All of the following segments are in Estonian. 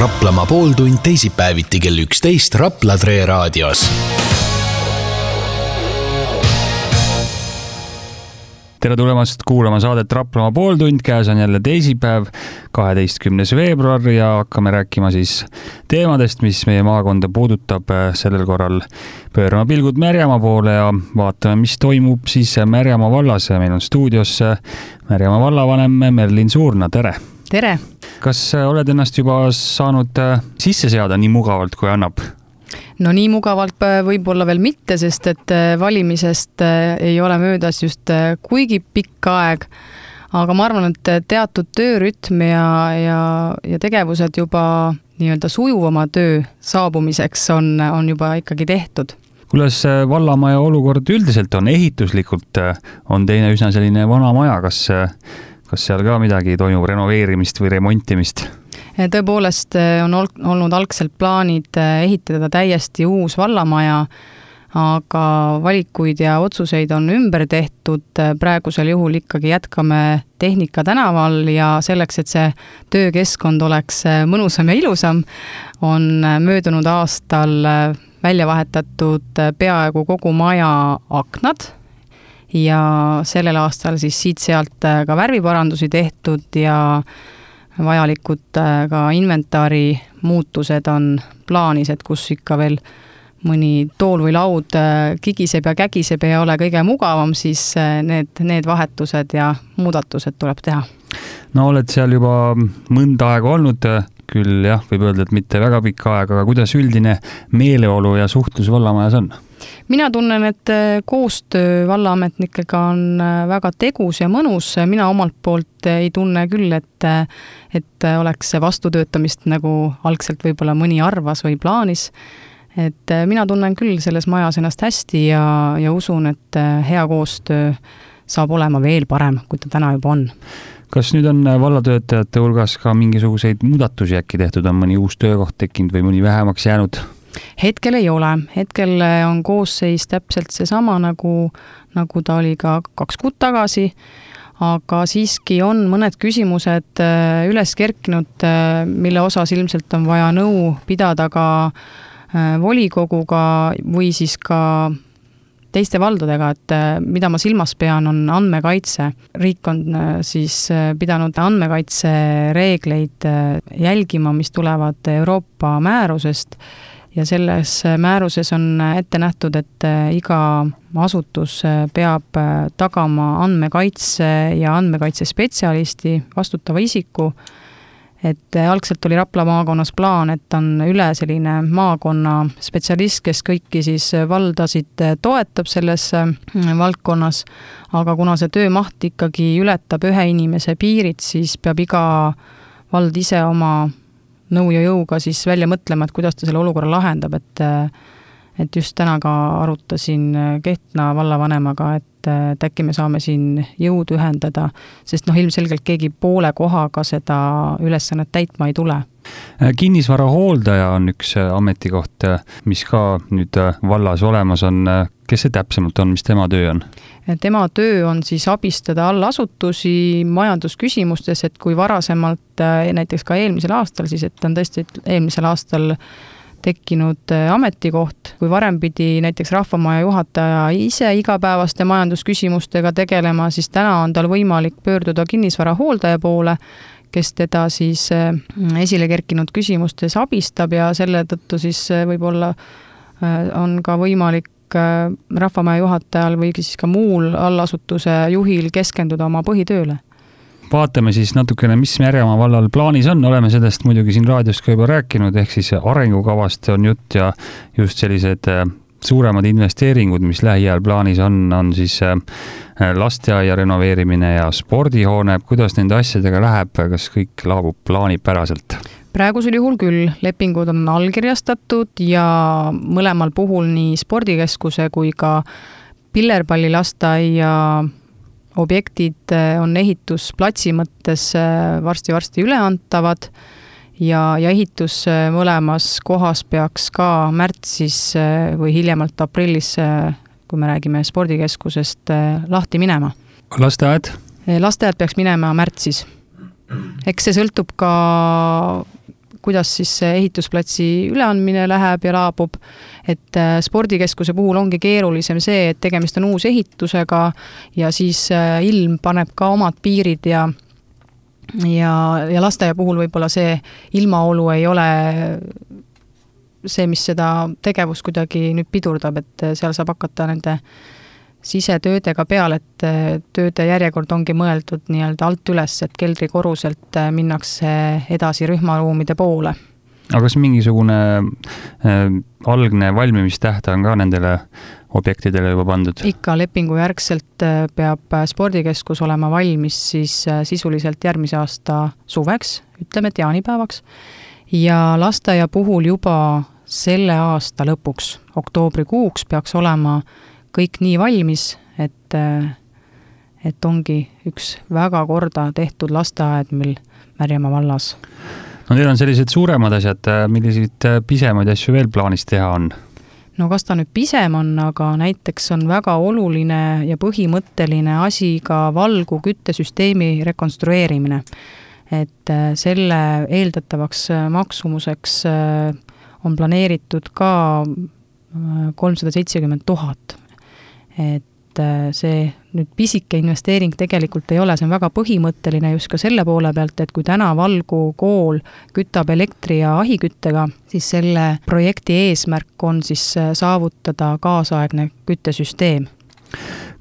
Raplamaa pooltund teisipäeviti kell 11 Rapla Tre raadios. Tere tulemast kuulama saadet Raplamaa pooltund, käes on jälle teisipäev, 12. veebruar ja hakkame rääkima siis teemadest, mis meie maakonda puudutab. Sellel korral pöörama pilgud Märjamaa poole ja vaatame, mis toimub siis Märjamaa vallas. Meil on stuudios Märjamaa vallavanem Merlin Suurna, tere! Tere! Kas oled ennast juba saanud sisse seada nii mugavalt, kui annab? No nii mugavalt võib-olla veel mitte, sest et valimisest ei ole möödas just kuigi pikk aeg, aga ma arvan, et teatud töörütm ja tegevused juba nii-öelda sujuvama töö saabumiseks on juba ikkagi tehtud. Kuidas vallamaja olukord üldiselt on? Ehituslikult on teine üsna selline vana maja, kas seal ka midagi toimub, renoveerimist või remontimist? Tõepoolest on olnud algselt plaanid ehitada täiesti uus vallamaja, aga valikuid ja otsuseid on ümber tehtud. Praegusel juhul ikkagi jätkame Tehnika tänaval ja selleks, et see töökeskkond oleks mõnusam ja ilusam, on möödunud aastal välja vahetatud peaaegu kogu maja aknad ja sellel aastal siis siit-sealt ka värviparandusi tehtud ja vajalikud ka inventaari muutused on plaanis, et kus ikka veel mõni tool või laud kigiseb ja kägiseb ja ei ole kõige mugavam, siis need vahetused ja muudatused tuleb teha. No oled seal juba mõnda aega olnud, küll jah, võib öelda, et mitte väga pikka aega, aga kuidas üldine meeleolu ja suhtlus vallamajas on? Mina tunnen, et koostöö vallaametnikega on väga tegus ja mõnus. Mina omalt poolt ei tunne küll, et oleks vastutöötamist, nagu algselt võib-olla mõni arvas või plaanis. Et mina tunnen küll selles majas ennast hästi ja usun, et hea koostöö saab olema veel parem, kui ta täna juba on. Kas nüüd on vallatöötajate hulgas ka mingisuguseid muudatusi äkki tehtud, on mõni uus töökoht tekkinud või mõni vähemaks jäänud? Hetkel ei ole. Hetkel on koosseis täpselt seesama, nagu ta oli ka 2 kuud tagasi, aga siiski on mõned küsimused üles kerkinud, mille osas ilmselt on vaja nõu pidada ka volikoguga või siis ka teiste valdadega, et mida ma silmas pean, on andmekaitse. Riik on siis pidanud andmekaitse reegleid jälgima, mis tulevad Euroopa määrusest ja selles määruses on ette nähtud, et iga asutus peab tagama andmekaitse ja andmekaitsespetsialisti vastutava isiku. Et algselt oli Rapla maakonnas plaan, et on üle selline maakonna spetsialist, kes kõiki siis valdasid toetab selles valdkonnas, aga kuna see töömaht ikkagi ületab ühe inimese piirid, siis peab iga vald ise oma nõu ja jõuga siis välja mõtlema, et kuidas ta selle olukorra lahendab, et just täna ka arutasin Kehtna vallavanemaga, et äkki me saame siin jõud ühendada, sest ilmselgelt keegi poole kohaga seda ülesannet täitma ei tule. Kinnisvara hooldaja on üks ametikoht, mis ka nüüd vallas olemas on. Kes see täpsemalt on, mis tema töö on? Tema töö on siis abistada allasutusi majandusküsimustes, et kui varasemalt, näiteks ka eelmisel aastal, siis et on tõesti eelmisel aastal tekkinud ametikoht, kui varem pidi näiteks rahvamaja juhataja ise igapäevaste majandusküsimustega tegelema, siis täna on tal võimalik pöörduda kinnisvara hooldaja poole, kes teda siis esile kerkinud küsimustes abistab ja selle tõttu siis võib-olla on ka võimalik rahvamaja juhatajal või siis ka muul allasutuse juhil keskenduda oma põhitööle. Vaatame siis natukene, mis Märjamaa vallal plaanis on. Oleme sellest muidugi siin raadios ka juba rääkinud, ehk siis arengukavast on jutt ja just sellised suuremad investeeringud, mis lähiajal plaanis on siis lasteaia renoveerimine ja spordihoone. Kuidas nende asjadega läheb, kas kõik laabub plaanipäraselt? Praegusel juhul küll lepingud on allkirjastatud ja mõlemal puhul nii spordikeskuse kui ka pillerpallilasteaia objektid on ehitusplatsi mõttes varsti üleantavad ja ehitus mõlemas kohas peaks ka märtsis või hiljemalt aprillis, kui me räägime spordikeskusest, lahti minema. Lasteaed? Lasteaed peaks minema märtsis. Eks see sõltub ka kuidas siis ehitusplatsi üleandmine läheb ja laabub, et spordikeskuse puhul ongi keerulisem see, et tegemist on uus ehitusega ja siis ilm paneb ka omad piirid ja lasteaia puhul võib-olla see ilmaolu ei ole see, mis seda tegevust kuidagi nüüd pidurdab, et seal saab hakata nende sisetöödega peale, et tööde järjekord ongi mõeldud nii-öelda alt üles, et keldrikoruselt minnakse edasi rühmaruumide poole. Aga kas mingisugune algne valmimistähtaeg on ka nendele objektidele juba pandud? Ikka lepingu järgselt peab spordikeskus olema valmis siis sisuliselt järgmise aasta suveks, ütleme, et jaanipäevaks, ja lasteaia puhul juba selle aasta lõpuks, oktoobrikuuks peaks olema kõik nii valmis, et ongi üks väga korda tehtud lasteaed meil Märjamaa vallas. No teil on sellised suuremad asjad, milliseid pisemaid asju veel plaanis teha on? No kas ta nüüd pisem on, aga näiteks on väga oluline ja põhimõtteline asi ka valgu küttesüsteemi rekonstrueerimine. Et selle eeldatavaks maksumuseks on planeeritud ka 370 000. Et see nüüd pisike investeering tegelikult ei ole, see on väga põhimõtteline just ka selle poole pealt, et kui täna Valgu kool kütab elektri- ja ahiküttega, siis selle projekti eesmärk on siis saavutada kaasaegne küttesüsteem.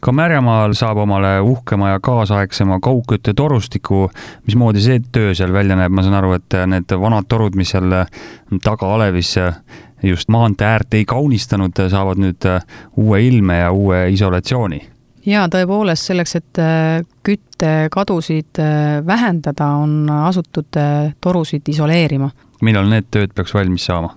Ka Märjamaal saab omale uhkema ja kaasaegsema kaugkütte torustiku. Mismoodi see töö seal välja näeb? Ma saan aru, et need vanad torud, mis seal taga alevis just maantee äärt ei kaunistanud, saavad nüüd uue ilme ja uue isolatsiooni. Ja tõepoolest selleks, et küttekadusid vähendada, on asutud torusid isoleerima. Millal need tööd peaks valmis saama?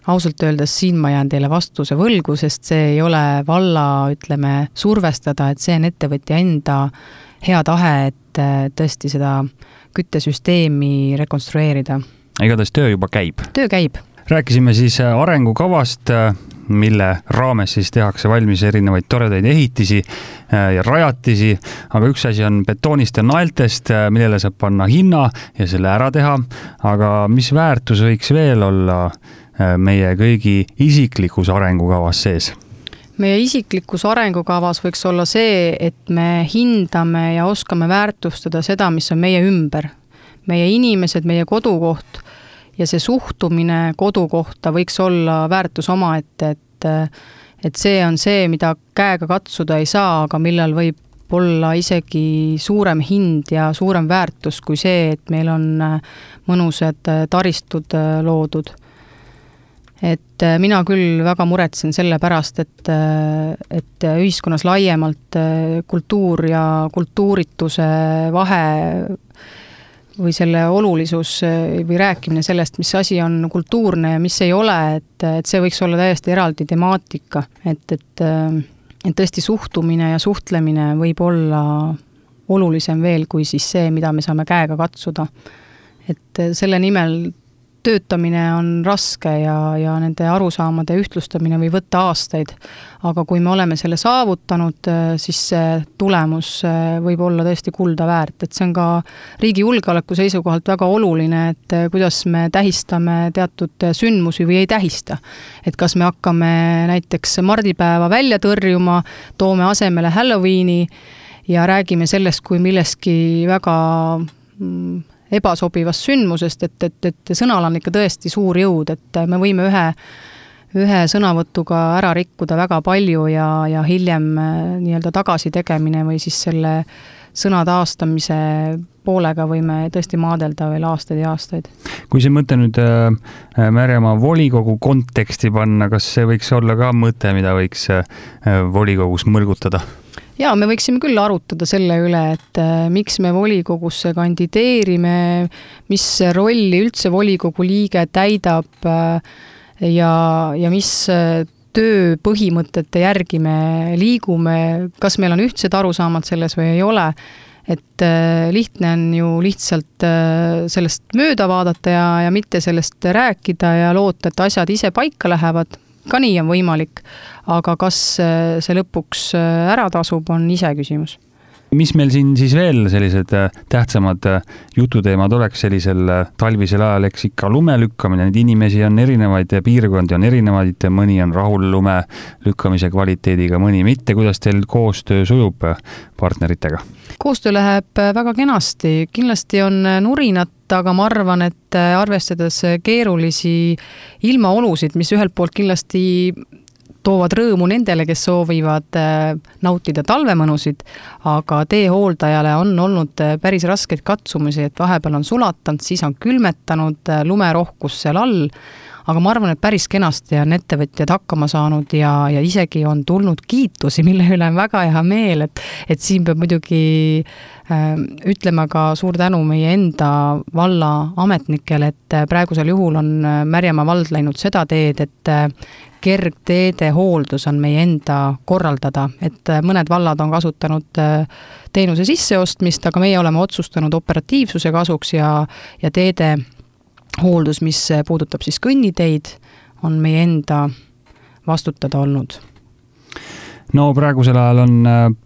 Ausalt öeldes siin ma jään teile vastuse võlgu, sest see ei ole valla, ütleme, survestada, et see on ettevõtja enda hea tahe, et tõesti seda küttesüsteemi rekonstrueerida. Igatahes töö juba käib? Töö käib. Rääkisime siis arengukavast, mille raames siis tehakse valmis erinevaid toredaid ehitisi ja rajatisi, aga üks asi on betoonist ja naeltest, millele saab panna hinna ja selle ära teha, aga mis väärtus võiks veel olla meie kõigi isiklikus arengukavas sees? Meie isiklikus arengukavas võiks olla see, et me hindame ja oskame väärtustada seda, mis on meie ümber. Meie inimesed, meie kodukoht ja see suhtumine kodukohta võiks olla väärtus omaette, et see on see, mida käega katsuda ei saa, aga millal võib olla isegi suurem hind ja suurem väärtus kui see, et meil on mõnusad taristud loodud. Et mina küll väga muretsen selle pärast, et ühiskonnas laiemalt kultuur ja kultuurituse vahe või selle olulisus või rääkimine sellest, mis asi on kultuurne ja mis ei ole, et see võiks olla täiesti eraldi temaatika, et tõesti suhtumine ja suhtlemine võib olla olulisem veel kui siis see, mida me saame käega katsuda. Et selle nimel töötamine on raske ja nende arusaamade ühtlustamine või võtta aastaid, aga kui me oleme selle saavutanud, siis see tulemus võib olla tõesti kulda väärt, et see on ka riigi julgeoleku seisukohalt väga oluline, et kuidas me tähistame teatud sündmusi või ei tähista. Et kas me hakkame näiteks mardipäeva välja tõrjuma, toome asemele Halloweeni ja räägime sellest kui milleski väga ebasobivast sündmusest, et sõnal on ikka tõesti suur jõud, et me võime ühe sõnavõtuga ära rikkuda väga palju ja hiljem nii-öelda tagasi tegemine või siis selle sõna taastamise poolega võime tõesti maadelda veel aastaid ja aastaid. Kui see mõte nüüd Märjamaa volikogu konteksti panna, kas see võiks olla ka mõte, mida võiks volikogus mõlgutada? Ja me võiksime küll arutada selle üle, et miks me volikogusse kandideerime, mis rolli üldse volikogu liige täidab ja mis töö põhimõtete järgi me liigume, kas meil on ühtsed arusaamad selles või ei ole. Et lihtne on ju lihtsalt sellest mööda vaadata ja mitte sellest rääkida ja loota, et asjad ise paika lähevad. Ka nii on võimalik, aga kas see lõpuks ära tasub, on ise küsimus. Mis meil siin siis veel sellised tähtsamad jututeemad oleks sellisel talvisel ajal, eks ikka lume lükkamine, neid inimesi on erinevaid, piirkondi on erinevaid, mõni on rahul lume lükkamise kvaliteediga, mõni mitte. Kuidas teil koostöö sujub partneritega? Koostöö läheb väga kenasti, kindlasti on nurinat, aga ma arvan, et arvestades keerulisi ilmaolusid, mis ühelt poolt kindlasti toovad rõõmu nendele, kes soovivad nautida talvemõnusid, aga teehooldajale on olnud päris raskeid katsumusi, et vahepeal on sulatanud, siis on külmetanud, lumerohkus seal all, aga ma arvan, et päris kenasti on ettevõtjad hakkama saanud ja isegi on tulnud kiitusi, mille üle on väga hea meel, et siin peab muidugi ütlema ka suur tänu meie enda valla ametnikele, et praegusel juhul on Märjamaa vald läinud seda teed, et kergteede hooldus on meie enda korraldada, et mõned vallad on kasutanud teenuse sisseostmist, aga meie oleme otsustanud operatiivsuse kasuks ja teede hooldus, mis puudutab siis kõnniteid, on meie enda vastutada olnud. No praegusel ajal on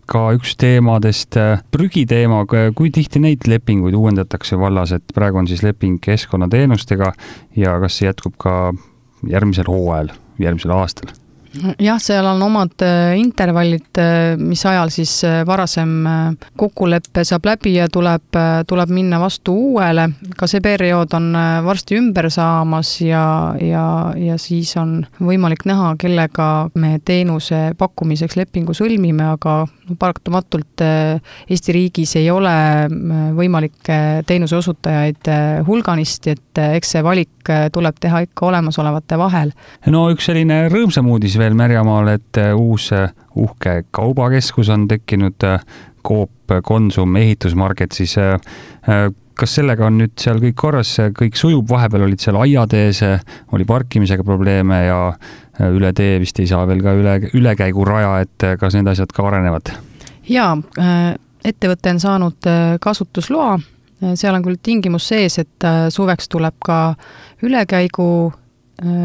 ka üks teemadest prügiteema, kui tihti neid lepinguid uuendatakse vallas, et praegu on siis leping keskkonnateenustega ja kas see jätkub ka järgmisel hooajal, järgmisel aastal? Jah, seal on omad intervallid, mis ajal siis varasem kokkuleppe saab läbi ja tuleb minna vastu uuele. Ka see periood on varsti ümber saamas ja siis on võimalik näha, kellega me teenuse pakkumiseks lepingu sõlmime, aga paratamatult Eesti riigis ei ole võimalik teenuse osutajaid hulganisti, et eks see valik tuleb teha ikka olemasolevate vahel. No üks selline rõõmsam uudis veel Märjamaal, et uus uhke kaubakeskus on tekkinud, Coop Konsum ehitusmarket, siis kas sellega on nüüd seal kõik korras, kõik sujub, vahepeal olid seal aiatees, oli parkimisega probleeme ja üle tee vist ei saa veel ka ülekäiguraja, et kas need asjad ka arenevad? Jaa, ettevõte on saanud kasutusloa, seal on küll tingimus sees, et suveks tuleb ka ülekäigu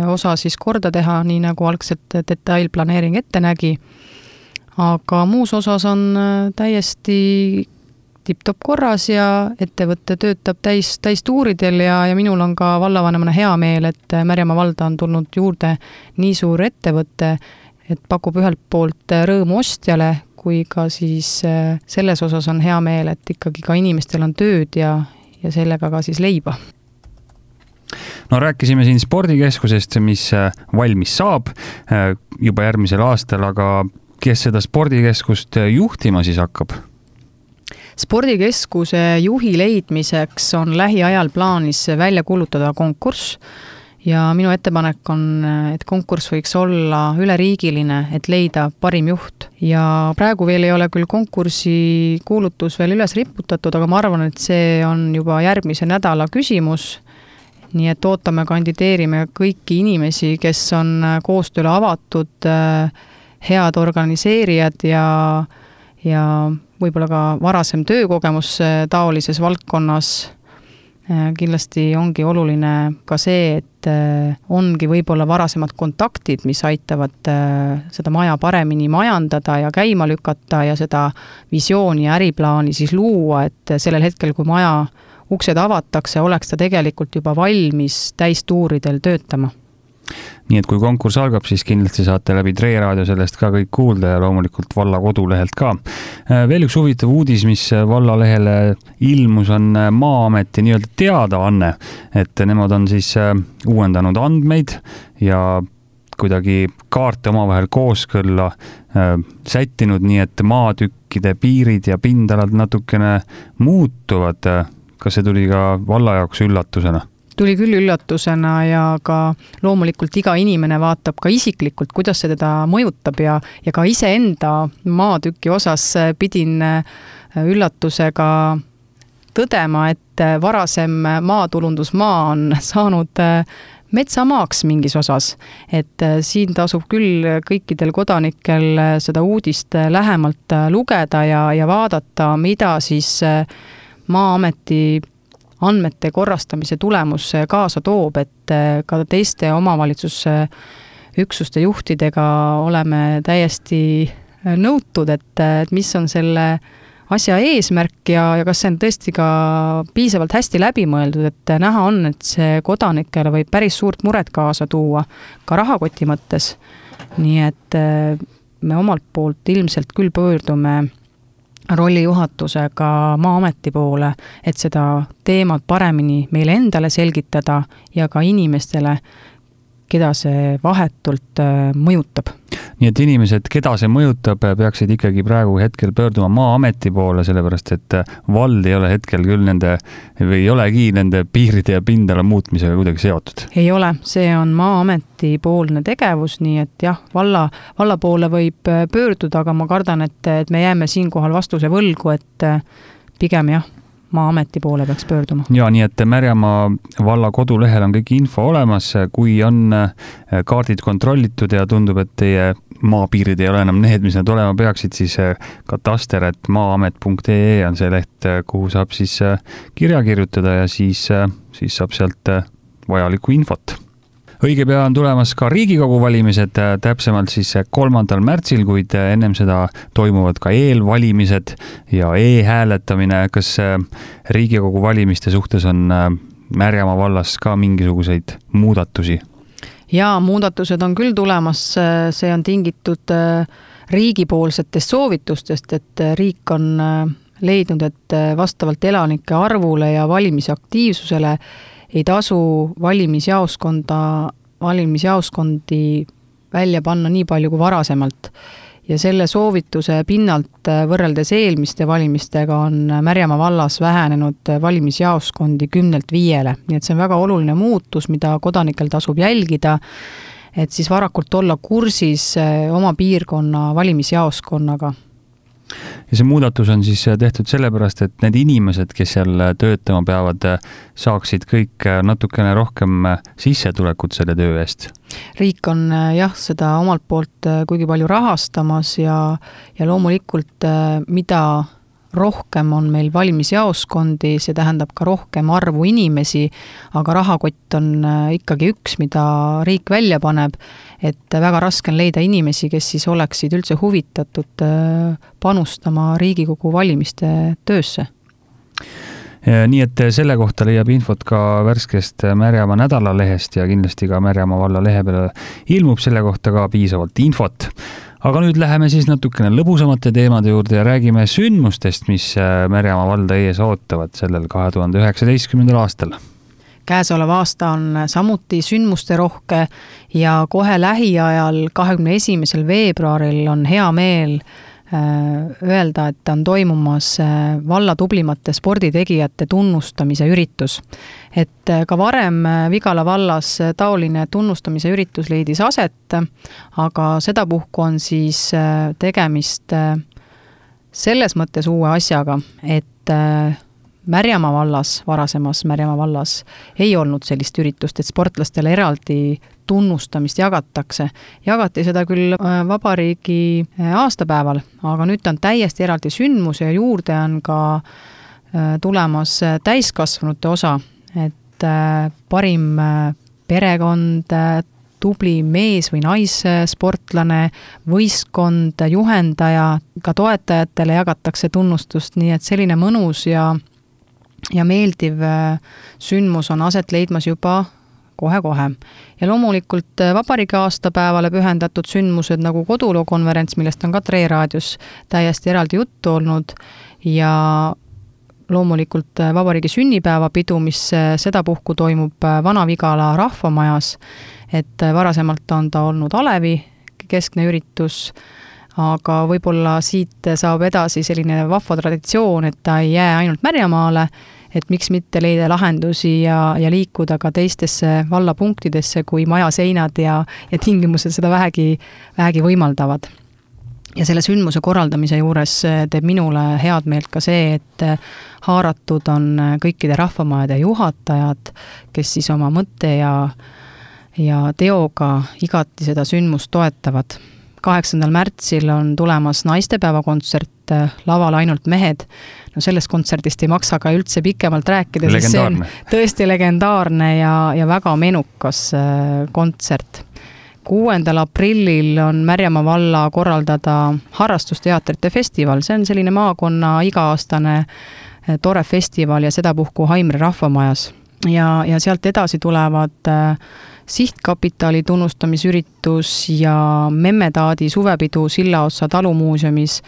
osa siis korda teha, nii nagu algselt detailplaneering ette nägi, aga muus osas on täiesti tipp-top korras ja ettevõte töötab täistuuridel ja minul on ka vallavanemana hea meel, et Märjamaa valda on tulnud juurde nii suur ettevõte, et pakub ühelt poolt rõõmu ostjale, kui ka siis selles osas on hea meel, et ikkagi ka inimestel on tööd ja sellega ka siis leiba. No rääkisime siin spordikeskusest, mis valmis saab juba järgmisel aastal, aga kes seda spordikeskust juhtima siis hakkab? Spordikeskuse juhi leidmiseks on lähiajal plaanis välja kuulutada konkurss ja minu ettepanek on, et konkurss võiks olla üleriigiline, et leida parim juht. Ja praegu veel ei ole küll konkursi kuulutus veel üles riputatud, aga ma arvan, et see on juba järgmise nädala küsimus. Nii et ootame, kandideerime kõiki inimesi, kes on koostööle avatud, head organiseerijad ja võib-olla ka varasem töökogemus taolises valdkonnas. Kindlasti ongi oluline ka see, et ongi võib-olla varasemad kontaktid, mis aitavad seda maja paremini majandada ja käima lükata ja seda visiooni ja äriplaani siis luua, et sellel hetkel, kui maja uksed avatakse, oleks ta tegelikult juba valmis täistuuridel töötama. Nii et kui konkurss algab, siis kindlasti saate läbi Tre Raadio sellest ka kõik kuulda ja loomulikult valla kodulehelt ka. Veel üks huvitav uudis, mis vallalehele ilmus, on Maa-ameti nii-öelda teadaanne, et nemad on siis uuendanud andmeid ja kuidagi kaarte omavahel kooskõlla sättinud, nii et maatükkide piirid ja pindalad natukene muutuvad. Kas see tuli ka valla jaoks üllatusena? Tuli küll üllatusena ja ka loomulikult iga inimene vaatab ka isiklikult, kuidas see teda mõjutab ja ka iseenda maatüki osas pidin üllatusega tõdema, et varasem maatulundusmaa on saanud metsamaaks mingis osas, et siin tasub küll kõikidel kodanikel seda uudist lähemalt lugeda ja vaadata, mida siis Maa-ameti andmete korrastamise tulemus kaasa toob, et ka teiste omavalitsuse üksuste juhtidega oleme täiesti nõutud, et mis on selle asja eesmärk ja kas see on tõesti ka piisavalt hästi läbimõeldud, et näha on, et see kodanikele võib päris suurt muret kaasa tuua ka rahakoti mõttes. Nii et me omalt poolt ilmselt küll pöördume rollijuhatusega Maa-ameti poole, et seda teemat paremini meile endale selgitada ja ka inimestele, keda see vahetult mõjutab. Nii et inimesed, keda see mõjutab, peaksid ikkagi praegu hetkel pöörduma Maa-ameti poole, sellepärast et vald ei ole hetkel küll või ei olegi nende piiride ja pindala muutmisega kuidagi seotud. Ei ole, see on Maa-ameti poolne tegevus, nii et jah, valla poole võib pöörduda, aga ma kardan, et me jääme siinkohal vastuse võlgu, et pigem jah, Maa-ameti poole peaks pöörduma. Ja nii, et Märjamaa valla kodulehel on kõik info olemas, kui on kaardid kontrollitud ja tundub, et teie maapiirid ei ole enam need, mis nad olema peaksid, siis kataster@maaamet.ee on see leht, kuhu saab siis kirja kirjutada ja siis saab sealt vajalikku infot. Õige pea on tulemas ka Riigikogu valimised, täpsemalt siis 3. märtsil, kuid ennem seda toimuvad ka eelvalimised ja e-hääletamine. Kas Riigikogu valimiste suhtes on Märjamaa vallas ka mingisuguseid muudatusi? Ja muudatused on küll tulemas, see on tingitud riigipoolsetest soovitustest, et riik on leidnud, et vastavalt elanike arvule ja valimisaktiivsusele ei tasu valimisjaoskondi välja panna nii palju kui varasemalt. Ja selle soovituse pinnalt võrreldes eelmiste valimistega on Märjamaa vallas vähenenud valimisjaoskondi 10-5. Nii et see on väga oluline muutus, mida kodanikel tasub jälgida, et siis varakult olla kursis oma piirkonna valimisjaoskonnaga. Ja see muudatus on siis tehtud sellepärast, et need inimesed, kes seal töötama peavad, saaksid kõik natukene rohkem sissetulekut selle töö eest. Riik on jah, seda omalt poolt kuigi palju rahastamas ja loomulikult mida rohkem on meil valimisjaoskondi, see tähendab ka rohkem arvu inimesi, aga rahakott on ikkagi üks, mida riik välja paneb, et väga raske on leida inimesi, kes siis oleksid üldse huvitatud panustama Riigikogu valimiste töösse. Nii et selle kohta leiab infot ka värskest Märjamaa nädalalehest ja kindlasti ka Märjamaa valla lehe peale ilmub selle kohta ka piisavalt infot. Aga nüüd läheme siis natukene lõbusamate teemade juurde ja räägime sündmustest, mis Märjamaa valda ees ootavad sellel 2019. aastal. Käesolev aasta on samuti sündmuste rohke ja kohe lähiajal 21. veebruaril on hea meel öelda, et on toimumas valla tublimate sporditegijate tunnustamise üritus. Et ka varem Vigala vallas taoline tunnustamise üritus leidis aset, aga sedapuhku on siis tegemist selles mõttes uue asjaga, et Märjamaa vallas, varasemas Märjamaa vallas ei olnud sellist üritust, et sportlastele eraldi tunnustamist jagatakse. Jagati seda küll vabariigi aastapäeval, aga nüüd on täiesti eraldi sündmus ja juurde on ka tulemas täiskasvanute osa, et parim perekond, tubli mees või naissportlane, võistkond, juhendaja, ka toetajatele jagatakse tunnustust, nii et selline mõnus ja meeldiv sündmus on aset leidmas juba kohe-kohe. Ja loomulikult vabariigi aastapäevale pühendatud sündmused nagu kodulookonverents, millest on ka Tre raadios täiesti eraldi juttu olnud ja loomulikult vabariigi sünnipäevapidu, mis sedapuhku toimub Vana-Vigala rahvamajas, et varasemalt on ta olnud Alevi keskne üritus, aga võib-olla siit saab edasi selline vahva traditsioon, et ta ei jää ainult Märjamaale, et miks mitte leida lahendusi ja liikuda ka teistesse vallapunktidesse, kui maja seinad ja tingimused seda vähegi võimaldavad. Ja selle sündmuse korraldamise juures teeb minule head meelt ka see, et haaratud on kõikide rahvamajade juhatajad, kes siis oma mõtte ja teoga igati seda sündmust toetavad. 8. märtsil on tulemas naistepäevakontsert, laval ainult mehed. No sellest kontserdist ei maksa ka üldse pikemalt rääkida, sest see on tõesti legendaarne ja väga menukas kontsert. 6. aprillil on Märjamaa valla korraldada harrastusteatrite festival, see on selline maakonna iga-aastane tore festival ja sedapuhku Haimre rahvamajas. Ja sealt edasi tulevad sihtkapitali tunnustamisüritus ja Memmetaadi suvepidu Sillaotsa talumuuseumis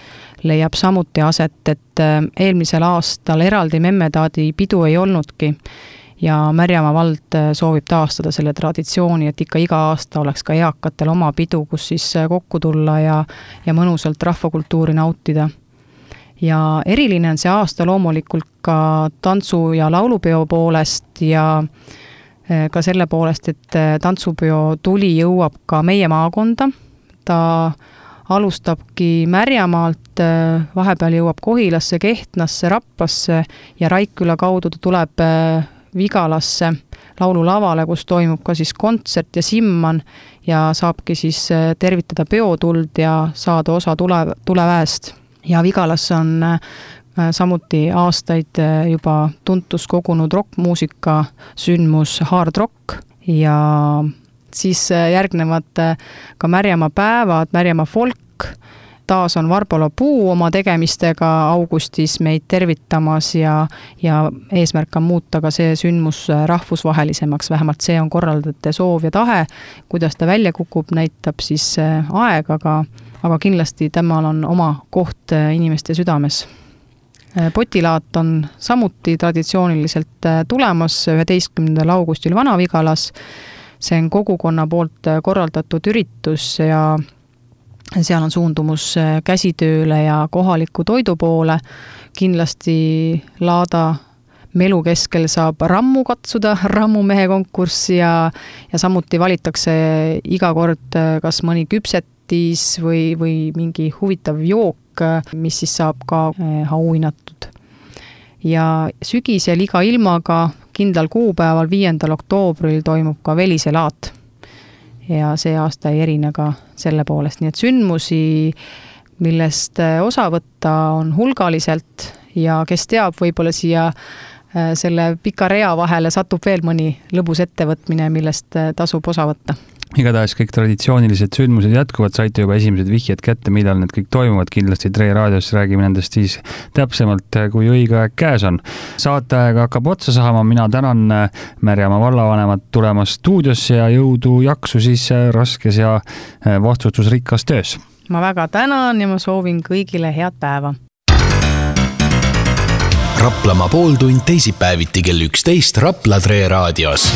leiab samuti aset, et eelmisel aastal eraldi Memmetaadi pidu ei olnudki ja Märjamaa vald soovib taastada selle traditsiooni, et ikka iga aasta oleks ka eakatel oma pidu, kus siis kokku tulla ja mõnusalt rahvakultuuri nautida. Ja eriline on see aasta loomulikult ka tantsu- ja laulupeo poolest ja ka selle poolest, et tantsupeo tuli jõuab ka meie maakonda. Ta alustabki Märjamaalt, vahepeal jõuab Kohilasse, Kehtnasse, Raplasse ja Raikküla kaudu ta tuleb Vigalasse laululavale, kus toimub ka siis kontsert ja simman ja saabki siis tervitada peotuld ja saada osa tuleväest. Ja Vigalasse on samuti aastaid juba tuntus kogunud rockmuusika sündmus Hard Rock ja siis järgnevad ka Märjamaa päevad, Märjamaa folk. Taas on Varbola Puu oma tegemistega augustis meid tervitamas ja eesmärk on muuta ka see sündmus rahvusvahelisemaks, vähemalt see on korraldajate soov ja tahe. Kuidas ta välja kukub, näitab siis aeg, aga kindlasti temal on oma koht inimeste südames. Potilaat on samuti traditsiooniliselt tulemas 11. augustil Vana-Vigalas. See on kogukonna poolt korraldatud üritus ja seal on suundumus käsitööle ja kohaliku toidu poole. Kindlasti Laada melu keskel saab rammu katsuda, rammumehe konkurss ja samuti valitakse iga kord kas mõni küpsetis või mingi huvitav jook, mis siis saab ka auhinnatud. Ja sügisel iga ilmaga kindlal kuupäeval 5. oktoobril toimub ka Velise laat. Ja see aasta ei erine ka selle poolest. Nii et sündmusi, millest osa võtta on hulgaliselt ja kes teab, võib-olla siia selle pika rea vahele satub veel mõni lõbus ettevõtmine, millest tasub osa võtta. Igatahes kõik traditsioonilised sündmused jätkuvad, saite juba esimesed vihjed kätte, millal need kõik toimuvad. Kindlasti Tre raadios räägime nendest siis täpsemalt, kui õige aeg käes on. Saateaega hakkab otsa saama, mina tänan Märjamaa vallavanemat tulemast stuudiosse ja jõudu jaksu siis raskes ja vastutusrikkas töös. Ma väga tänan ja ma soovin kõigile head päeva. Raplamaa pooltund teisipäeviti kell 11 Rapla Tre raadios.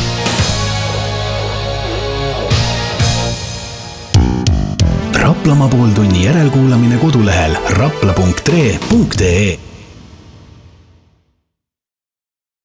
Raplamaa pooltunni järelkuulamine kodulehel rapla.tre.ee